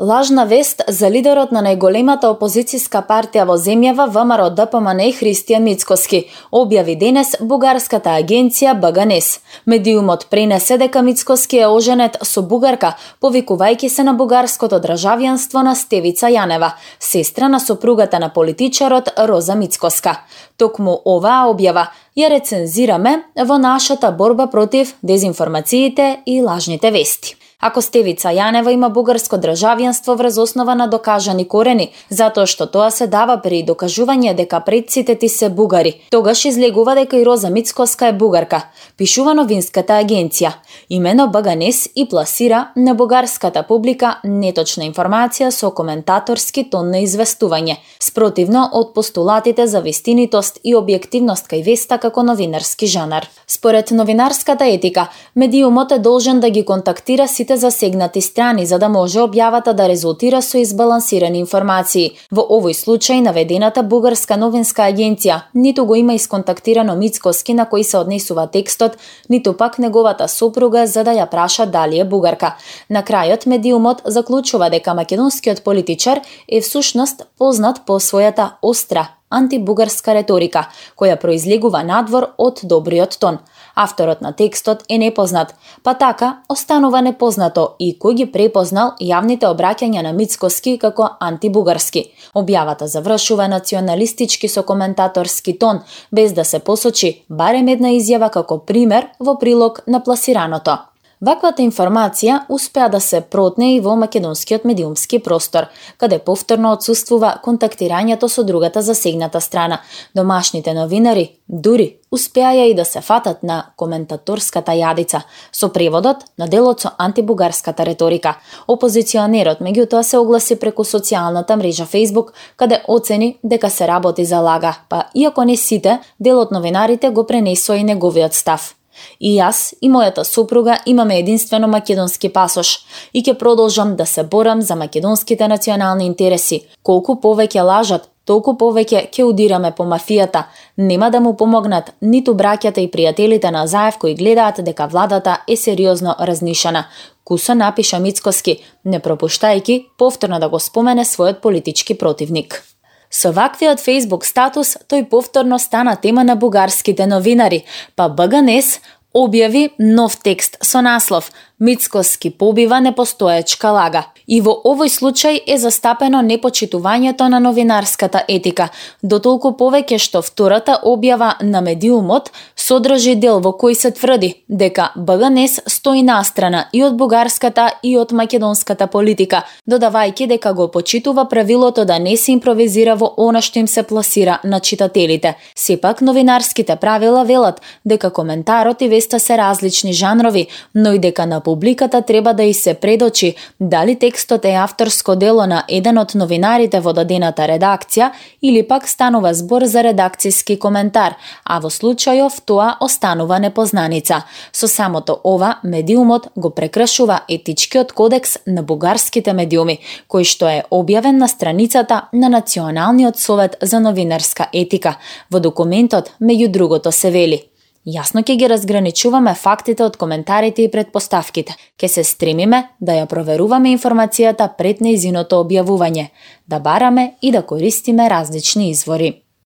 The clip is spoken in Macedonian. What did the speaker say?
Лажна вест за лидерот на најголемата опозицијска партија во земјава ВМРО-ДПМН Христијан Мицкоски, објави денес бугарската агенција БГНЕС. Медиумот пренесе дека Мицкоски е оженет со бугарка, повикувајќи се на бугарското државјанство на Стевица Јанева, сестра на сопругата на политичарот Роза Мицкоска. Токму оваа објава ја рецензираме во нашата борба против дезинформациите и лажните вести. Ако Стевица Јанева има бугарско државјанство врз основа на докажани корени, затоа што тоа се дава при докажување дека предците ти се бугари, тогаш излегува дека и Роза Мицкоска е бугарка, пишува новинската агенција. Имено БГНЕС и пласира на бугарската публика неточна информација со коментаторски тон на известување, спротивно од постулатите за вистинитост и објективност кај веста како новинарски жанар. Според новинарската етика, медиумот е должен да ги контактира сите засегнати страни за да може објавата да резултира со избалансирани информации. Во овој случај наведената бугарска новинска агенција ниту го има исконтактирано Мицкоски на кој се однесува текстот, ниту пак неговата сопруга за да ја праша дали е бугарка. На крајот медиумот заклучува дека македонскиот политичар е всушност познат по својата остра антибугарска реторика, која произлегува надвор од добриот тон. Авторот на текстот е непознат, па така останува непознато и кој ги препознал јавните обраќања на Мицкоски како антибугарски. Објавата завршува националистички со коментаторски тон, без да се посочи барем една изјава како пример во прилог на пласираното. Ваквата информација успеа да се протне и во македонскиот медиумски простор, каде повторно отсуствува контактирањето со другата засегната страна. Домашните новинари дури успеаја и да се фатат на коментаторската јадица со преводот на делот со антибугарската реторика. Опозиционерот меѓутоа се огласи преку социјалната мрежа Facebook, каде оцени дека се работи за лага, па иако не сите, дел од новинарите го пренесоа и неговиот став. И јас и мојата сопруга имаме единствено македонски пасош и ќе продолжам да се борам за македонските национални интереси. Колку повеќе лажат, толку повеќе ќе удираме по мафијата. Нема да му помогнат ниту браќата и пријателите на Заев кои гледаат дека владата е сериозно разнишана. Кусо напиша Мицкоски, не пропуштајќи повторно да го спомене својот политички противник. Со ваквиот Facebook статус, тој повторно стана тема на бугарските новинари, па БГНЕС објави нов текст со наслов Мицкоски побива непостоечка лага. И во овој случај е застапено непочитувањето на новинарската етика, дотолку повеќе што втората објава на медиумот содржи дел во кој се тврди дека БГНЕС стои настрана и од бугарската и од македонската политика, додавајќи дека го почитува правилото да не се импровизира во она што им се пласира на читателите. Сепак новинарските правила велат дека коментарот и веста се различни жанрови, но и дека на публиката треба да и се предочи дали текстот е авторско дело на еден од новинарите во дадената редакција или пак станува збор за редакцијски коментар, а во случајов тоа останува непознаница. Со самото ова, медиумот го прекршува етичкиот кодекс на бугарските медиуми, кој што е објавен на страницата на Националниот совет за новинарска етика. Во документот, меѓу другото, се вели: Јасно ќе ги разграничуваме фактите од коментарите и предпоставките. Ќе се стремиме да ја проверуваме информацијата пред нејзиното објавување, да бараме и да користиме различни извори.